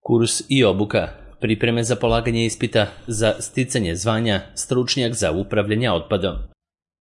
Kurs i obuka, pripreme za polaganje ispita za sticanje zvanja stručnjak za upravljanje otpadom.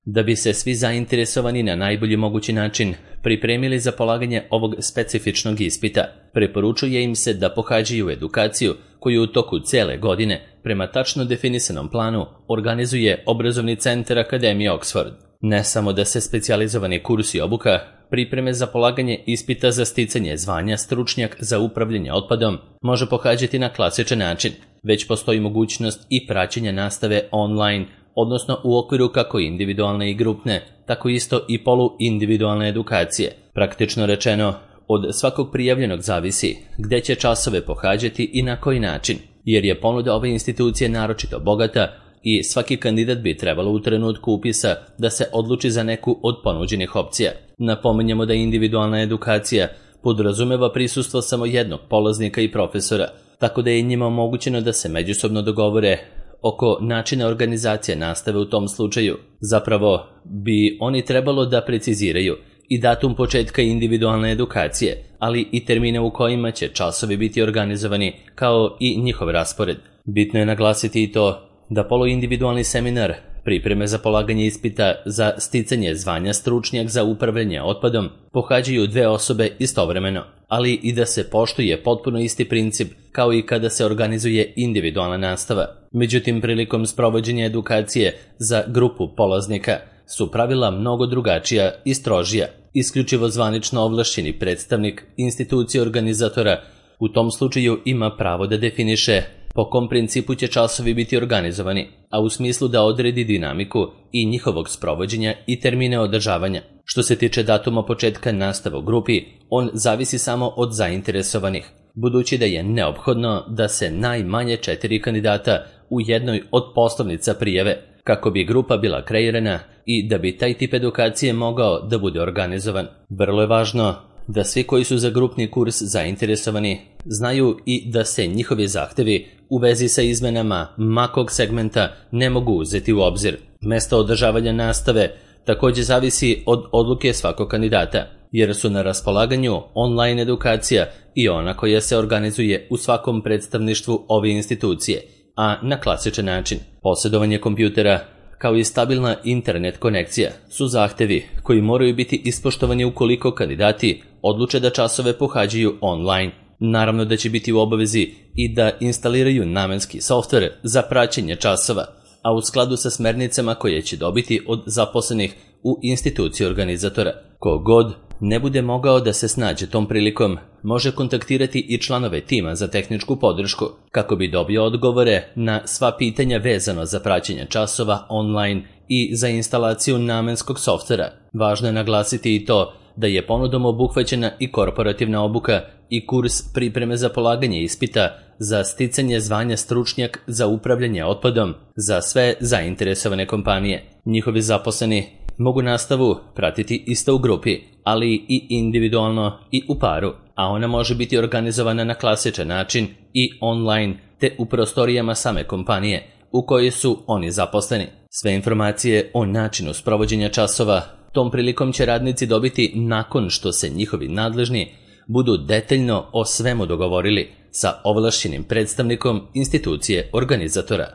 Da bi se svi zainteresovani na najbolji mogući način pripremili za polaganje ovog specifičnog ispita, preporučuje im se da pohađaju edukaciju koju u toku cele godine, prema tačno definisanom planu, organizuje Obrazovni centar Akademije Oxford. Ne samo da se specijalizovani kurs i obuka, pripreme za polaganje ispita za sticanje zvanja stručnjak za upravljanje otpadom može pohađati na klasičan način, već postoji mogućnost i praćenja nastave online, odnosno u okviru kako individualne i grupne, tako isto i poluindividualne edukacije. Praktično rečeno, od svakog prijavljenog zavisi gde će časove pohađati i na koji način, jer je ponuda ove institucije naročito bogata i svaki kandidat bi trebalo u trenutku upisa da se odluči za neku od ponuđenih opcija. Napominjemo da individualna edukacija podrazumeva prisustvo samo jednog polaznika i profesora, tako da je njima omogućeno da se međusobno dogovore oko načina organizacije nastave u tom slučaju. Zapravo bi oni trebalo da preciziraju i datum početka individualne edukacije, ali i termine u kojima će časovi biti organizovani, kao i njihov raspored. Bitno je naglasiti i to da poluindividualni seminar, pripreme za polaganje ispita za sticanje zvanja stručnjak za upravljanje otpadom, pohađaju dve osobe istovremeno, ali i da se poštuje potpuno isti princip kao i kada se organizuje individualna nastava. Međutim, prilikom sprovođenja edukacije za grupu polaznika su pravila mnogo drugačija i strožija. Isključivo zvanično ovlašćeni predstavnik institucije organizatora u tom slučaju ima pravo da definiše po kom principu će časovi biti organizovani, a u smislu da odredi dinamiku i njihovog sprovođenja i termine održavanja. Što se tiče datuma početka nastave u grupi, on zavisi samo od zainteresovanih, budući da je neophodno da se najmanje 4 kandidata u jednoj od poslovnica prijave, kako bi grupa bila kreirana i da bi taj tip edukacije mogao da bude organizovan. Vrlo je važno da svi koji su za grupni kurs zainteresovani znaju i da se njihovi zahtevi u vezi sa izmenama makog segmenta ne mogu uzeti u obzir. Mesto održavanja nastave također zavisi od odluke svakog kandidata, jer su na raspolaganju online edukacija i ona koja se organizuje u svakom predstavništvu ove institucije, a na klasičan način. Posjedovanje kompjutera kao i stabilna internet konekcija su zahtevi koji moraju biti ispoštovani ukoliko kandidati odluče da časove pohađaju online. Naravno da će biti u obavezi i da instaliraju namenski softver za praćenje časova, a u skladu sa smernicama koje će dobiti od zaposlenih u instituciji organizatora. Kogod ne bude mogao da se snađe tom prilikom, može kontaktirati i članove tima za tehničku podršku kako bi dobio odgovore na sva pitanja vezano za praćenje časova online i za instalaciju namenskog softvera. Važno je naglasiti i to da je ponudom obuhvaćena i korporativna obuka i kurs pripreme za polaganje ispita za sticanje zvanja stručnjak za upravljanje otpadom za sve zainteresovane kompanije. Njihovi zaposleni mogu nastavu pratiti isto u grupi, ali i individualno i u paru, a ona može biti organizovana na klasičan način i online te u prostorijama same kompanije u kojoj su oni zaposleni. Sve informacije o načinu sprovođenja časova tom prilikom će radnici dobiti nakon što se njihovi nadležni budu detaljno o svemu dogovorili sa ovlašćenim predstavnikom institucije organizatora.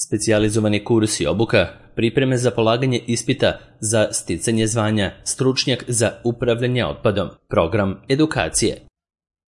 Specijalizovani kurs i obuka, pripreme za polaganje ispita za sticanje zvanja stručnjak za upravljanje otpadom, program edukacije.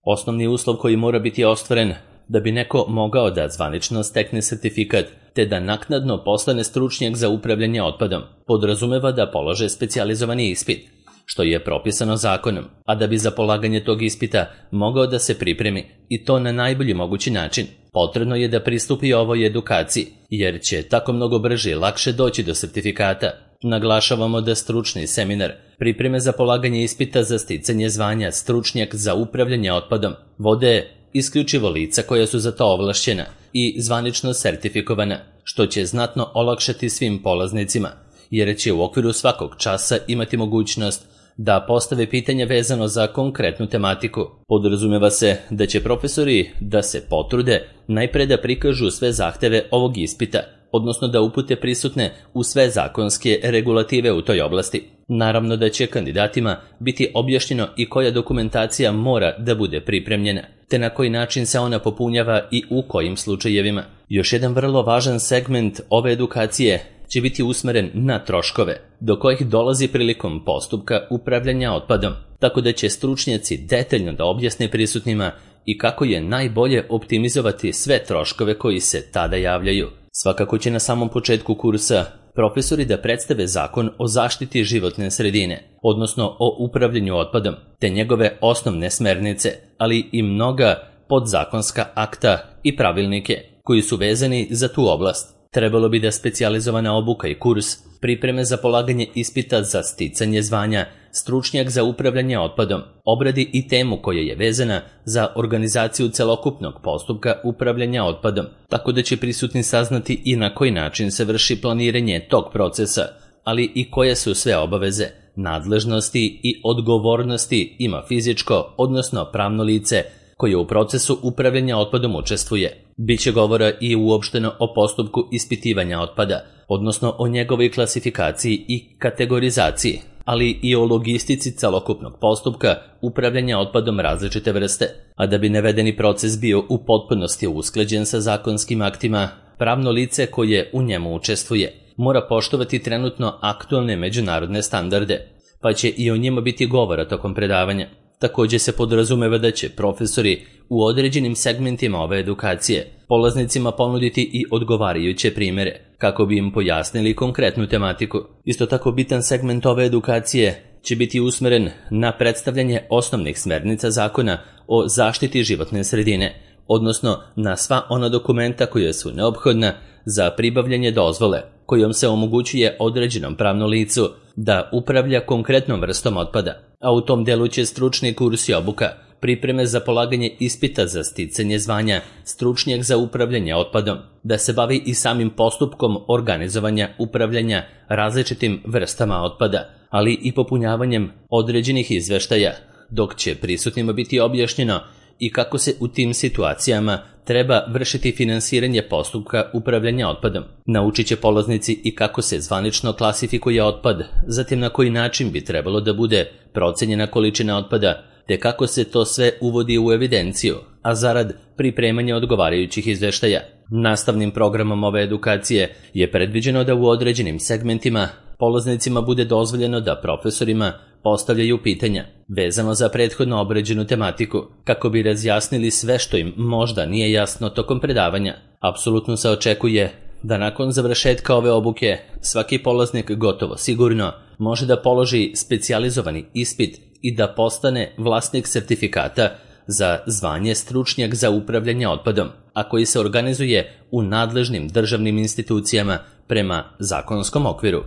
Osnovni uslov koji mora biti ostvaren da bi neko mogao da zvanično stekne sertifikat te da naknadno postane stručnjak za upravljanje otpadom podrazumeva da polože specijalizovani ispit, što je propisano zakonom, a da bi za polaganje tog ispita mogao da se pripremi i to na najbolji mogući način, potrebno je da pristupi ovoj edukaciji, jer će tako mnogo brže i lakše doći do sertifikata. Naglašavamo da stručni seminar, pripreme za polaganje ispita za sticanje zvanja stručnjak za upravljanje otpadom, vode isključivo lica koja su za to ovlašćena i zvanično sertifikovana, što će znatno olakšati svim polaznicima, jer će u okviru svakog časa imati mogućnost da postave pitanja vezano za konkretnu tematiku. Podrazumeva se da će profesori da se potrude najpre da prikažu sve zahteve ovog ispita, odnosno da upute prisutne u sve zakonske regulative u toj oblasti. Naravno da će kandidatima biti objašnjeno i koja dokumentacija mora da bude pripremljena, te na koji način se ona popunjava i u kojim slučajevima. Još jedan vrlo važan segment ove edukacije će biti usmeren na troškove, do kojih dolazi prilikom postupka upravljanja otpadom, tako da će stručnjaci detaljno da objasne prisutnima i kako je najbolje optimizovati sve troškove koji se tada javljaju. Svakako će na samom početku kursa profesori da predstave zakon o zaštiti životne sredine, odnosno o upravljanju otpadom, te njegove osnovne smernice, ali i mnoga podzakonska akta i pravilnike koji su vezani za tu oblast. Trebalo bi da specijalizovana obuka i kurs pripreme za polaganje ispita za sticanje zvanja stručnjak za upravljanje otpadom obradi i temu koja je vezana za organizaciju celokupnog postupka upravljanja otpadom, tako da će prisutni saznati i na koji način se vrši planiranje tog procesa, ali i koje su sve obaveze, nadležnosti i odgovornosti ima fizičko, odnosno pravno lice koje u procesu upravljanja otpadom učestvuje. Biće govora i uopšteno o postupku ispitivanja otpada, odnosno o njegovoj klasifikaciji i kategorizaciji, ali i o logistici celokupnog postupka upravljanja otpadom različite vrste. A da bi navedeni proces bio u potpunosti usklađen sa zakonskim aktima, pravno lice koje u njemu učestvuje mora poštovati trenutno aktualne međunarodne standarde, pa će i o njima biti govora tokom predavanja. Također se podrazumeva da će profesori u određenim segmentima ove edukacije polaznicima ponuditi i odgovarajuće primjere, kako bi im pojasnili konkretnu tematiku. Isto tako bitan segment ove edukacije će biti usmeren na predstavljanje osnovnih smernica zakona o zaštiti životne sredine, odnosno na sva ona dokumenta koja su neophodna za pribavljanje dozvole, kojom se omogućuje određenom pravnom licu da upravlja konkretnom vrstom otpada, a u tom delu će stručni kurs i obuka pripreme za polaganje ispita za sticanje zvanja stručnjak za upravljanje otpadom, da se bavi i samim postupkom organizovanja upravljanja različitim vrstama otpada, ali i popunjavanjem određenih izveštaja, dok će prisutnima biti objašnjeno i kako se u tim situacijama treba vršiti finansiranje postupka upravljanja otpadom. Naučit će polaznici i kako se zvanično klasifikuje otpad, zatim na koji način bi trebalo da bude procenjena količina otpada, te kako se to sve uvodi u evidenciju, a zarad pripremanja odgovarajućih izveštaja. Nastavnim programom ove edukacije je predviđeno da u određenim segmentima polaznicima bude dozvoljeno da profesorima postavljaju pitanja vezano za prethodno obrađenu tematiku, kako bi razjasnili sve što im možda nije jasno tokom predavanja. Apsolutno se očekuje da nakon završetka ove obuke svaki polaznik gotovo sigurno može da položi specijalizovani ispit i da postane vlasnik sertifikata za zvanje stručnjak za upravljanje otpadom, a koji se organizuje u nadležnim državnim institucijama prema zakonskom okviru.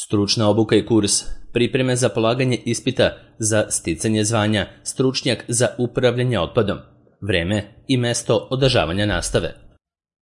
Stručna obuka i kurs pripreme za polaganje ispita za sticanje zvanja stručnjak za upravljanje otpadom, vreme i mesto održavanja nastave.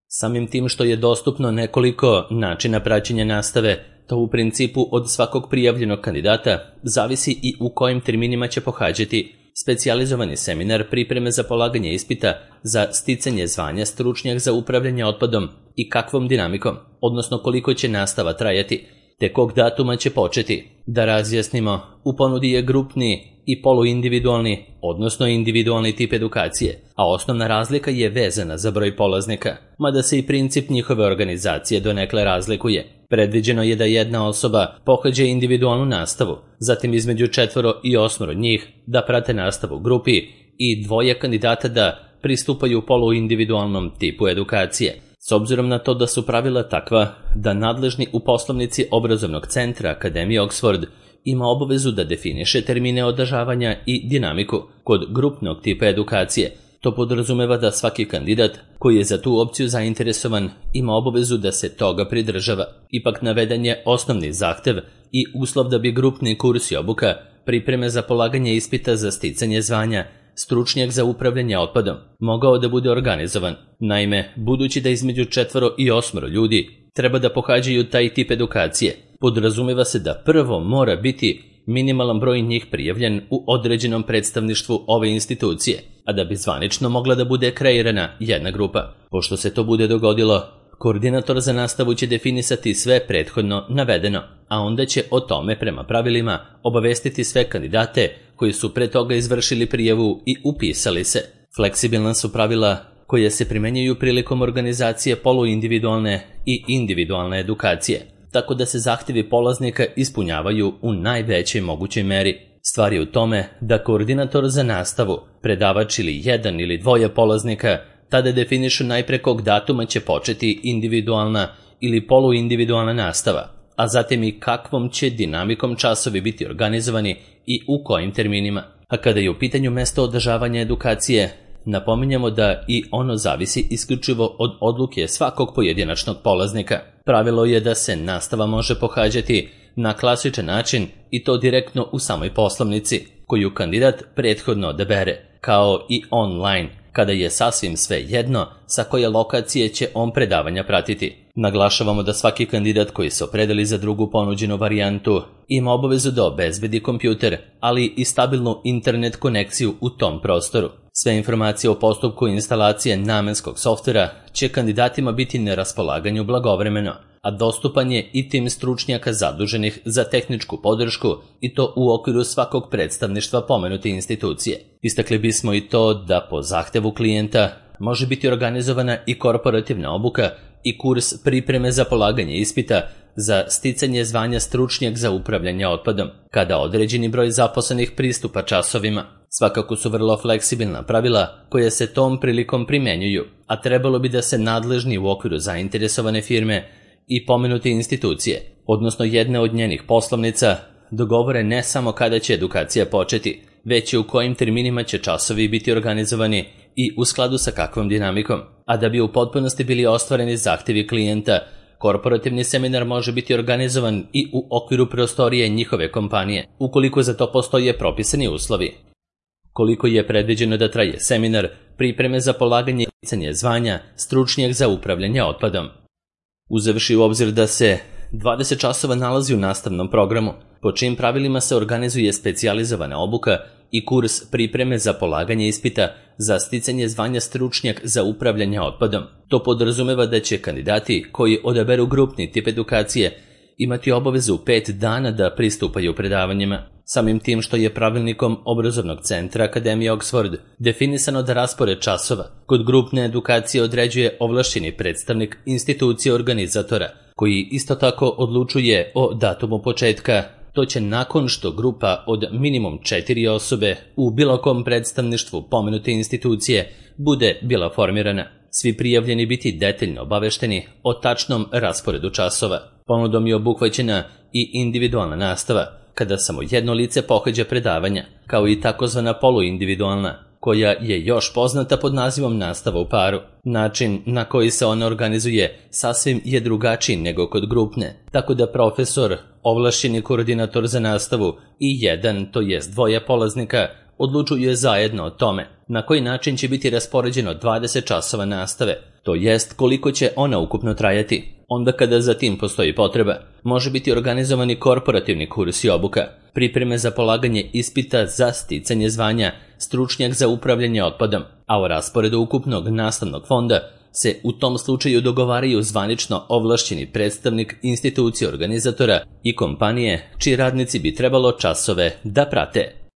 Samim tim što je dostupno nekoliko načina praćenja nastave, to u principu od svakog prijavljenog kandidata zavisi i u kojim terminima će pohađati specijalizovani seminar pripreme za polaganje ispita za sticanje zvanja stručnjak za upravljanje otpadom i kakvom dinamikom, odnosno koliko će nastava trajati, te kog datuma će početi. Da razjasnimo, u ponudi je grupni i poluindividualni, odnosno individualni tip edukacije, a osnovna razlika je vezana za broj polaznika, mada se i princip njihove organizacije donekle razlikuje. Predviđeno je da jedna osoba pohađa individualnu nastavu, zatim između 4 i 8 njih da prate nastavu u grupi i 2 kandidata da pristupaju poluindividualnom tipu edukacije. S obzirom na to da su pravila takva da nadležni u poslovnici obrazovnog centra Akademije Oxford ima obavezu da definiše termine održavanja i dinamiku kod grupnog tipa edukacije, to podrazumeva da svaki kandidat koji je za tu opciju zainteresovan ima obavezu da se toga pridržava. Ipak naveden je osnovni zahtev i uslov da bi grupni kurs i obuka pripreme za polaganje ispita za sticanje zvanja stručnjak za upravljanje otpadom mogao da bude organizovan. Naime, budući da između 4 i 8 ljudi treba da pohađaju taj tip edukacije, podrazumeva se da prvo mora biti minimalan broj njih prijavljen u određenom predstavništvu ove institucije, a da bi zvanično mogla da bude kreirana jedna grupa. Pošto se to bude dogodilo, koordinator za nastavu će definisati sve prethodno navedeno, a onda će o tome prema pravilima obavestiti sve kandidate koji su pre toga izvršili prijavu i upisali se. Fleksibilna su pravila koje se primenjuju prilikom organizacije poluindividualne i individualne edukacije, tako da se zahtjevi polaznika ispunjavaju u najvećoj mogućoj meri. Stvar je u tome da koordinator za nastavu, predavač ili jedan ili dvoje polaznika tada definišu najpre kog datuma će početi individualna ili poluindividualna nastava, a zatim i kakvom će dinamikom časovi biti organizovani i u kojim terminima. A kada je u pitanju mesto održavanja edukacije, napominjamo da i ono zavisi isključivo od odluke svakog pojedinačnog polaznika. Pravilo je da se nastava može pohađati na klasičan način i to direktno u samoj poslovnici, koju kandidat prethodno odabere, kao i online, kada je sasvim sve jedno sa koje lokacije će on predavanja pratiti. Naglašavamo da svaki kandidat koji se opredeli za drugu ponuđenu varijantu ima obavezu da obezbedi kompjuter, ali i stabilnu internet konekciju u tom prostoru. Sve informacije o postupku instalacije namenskog softvera će kandidatima biti na raspolaganju blagovremeno, a dostupan je i tim stručnjaka zaduženih za tehničku podršku i to u okviru svakog predstavništva pomenute institucije. Istakli bismo i to da po zahtevu klijenta može biti organizovana i korporativna obuka i kurs pripreme za polaganje ispita za sticanje zvanja stručnjak za upravljanje otpadom, kada određeni broj zaposlenih pristupa časovima. Svakako su vrlo fleksibilna pravila koja se tom prilikom primjenjuju, a trebalo bi da se nadležni u okviru zainteresovane firme i pomenute institucije, odnosno jedne od njenih poslovnica, dogovore ne samo kada će edukacija početi, već i u kojim terminima će časovi biti organizovani i u skladu sa kakvom dinamikom. A da bi u potpunosti bili ostvareni zahtjevi klijenta, korporativni seminar može biti organizovan i u okviru prostorije njihove kompanije, ukoliko za to postoje propisani uslovi. Koliko je predviđeno da traje seminar pripreme za polaganje i sticanje zvanja stručnjak za upravljanje otpadom? Uzevši u obzir da se 20 časova nalazi u nastavnom programu, po čijim pravilima se organizuje specijalizovana obuka i kurs pripreme za polaganje ispita za sticanje zvanja stručnjak za upravljanje otpadom. To podrazumeva da će kandidati koji odaberu grupni tip edukacije imati obavezu 5 dana da pristupaju predavanjima. Samim tim što je pravilnikom obrazovnog centra Akademije Oxford definisano da raspored časova kod grupne edukacije određuje ovlašćeni predstavnik institucije organizatora, koji isto tako odlučuje o datumu početka. To će nakon što grupa od minimum 4 osobe u bilo kom predstavništvu pomenute institucije bude bila formirana. Svi prijavljeni biti detaljno obavešteni o tačnom rasporedu časova. Ponudom je obuhvaćena i individualna nastava, kada samo jedno lice pohađa predavanja, kao i takozvana poluindividualna, koja je još poznata pod nazivom nastava u paru. Način na koji se ona organizuje sasvim je drugačiji nego kod grupne, tako da profesor, ovlašćeni koordinator za nastavu i jedan, to jest dvoje polaznika, odlučuje zajedno o tome na koji način će biti raspoređeno 20 časova nastave, to jest koliko će ona ukupno trajati. Onda kada za tim postoji potreba, može biti organizovani korporativni kurs i obuka, pripreme za polaganje ispita za sticanje zvanja stručnjak za upravljanje otpadom, a o rasporedu ukupnog nastavnog fonda se u tom slučaju dogovaraju zvanično ovlašćeni predstavnik institucije organizatora i kompanije čiji radnici bi trebalo časove da prate.